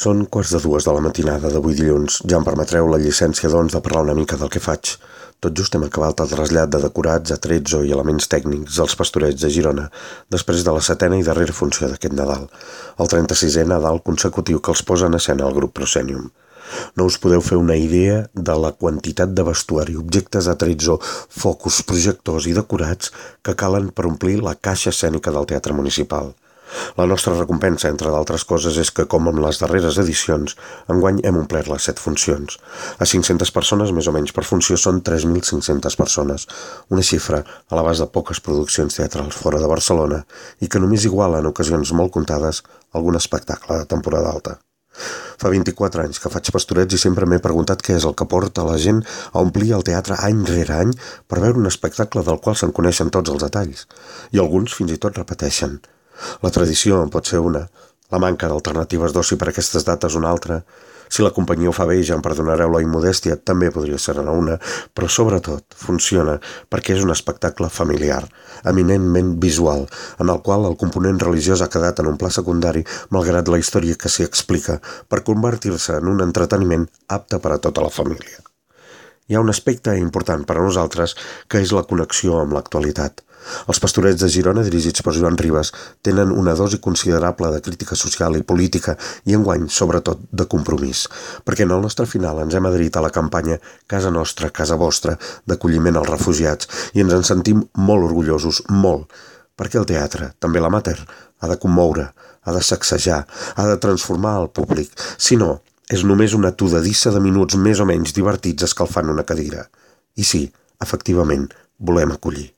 Són 1:15 de la matinada d'avui dilluns. Ja em permetreu la llicència, doncs, de parlar una mica del que faig. Tot just hem acabat el trasllat de decorats, atrezzo i elements tècnics als Pastorets de Girona, després de la 7ª i darrera funció d'aquest Nadal, el 36è Nadal consecutiu que els posa en escena el grup Proscenium. No us podeu fer una idea de la quantitat de vestuari, objectes d'atrezzo, focus, projectors i decorats que calen per omplir la caixa escènica del Teatre Municipal. La nostra recompensa, entre d'altres coses, és que, com en les darreres edicions, enguany hem omplert les 7 funcions. A 500 persones, més o menys per funció, són 3.500 persones, una xifra a l'abast de poques produccions teatrals fora de Barcelona i que només iguala en ocasions molt comptades algun espectacle de temporada alta. Fa 24 anys que faig Pastorets i sempre m'he preguntat què és el que porta la gent a omplir el teatre any rere any per veure un espectacle del qual se'n coneixen tots els detalls, i alguns fins i tot repeteixen. La tradició en pot ser una, la manca d'alternatives d'oci per aquestes dates una altra. Si la companyia ho fa bé, ja em perdonareu la immodèstia, també podria ser una, però sobretot funciona perquè és un espectacle familiar, eminentment visual, en el qual el component religiós ha quedat en un pla secundari malgrat la història que s'hi explica, per convertir-se en un entreteniment apte per a tota la família. Hi ha un aspecte important per a nosaltres que és la connexió amb l'actualitat. Els Pastorets de Girona, dirigits per Joan Ribas, tenen una dosi considerable de crítica social i política i enguany, sobretot, de compromís, perquè en el nostre final ens hem adherit a la campanya Casa Nostra, Casa Vostra, d'acolliment als refugiats, i ens en sentim molt orgullosos, molt, perquè el teatre, també l'amateur, ha de commoure, ha de sacsejar, ha de transformar el públic. Si no, és només una tudadissa de minuts més o menys divertits escalfant una cadira. I sí, efectivament, volem acollir.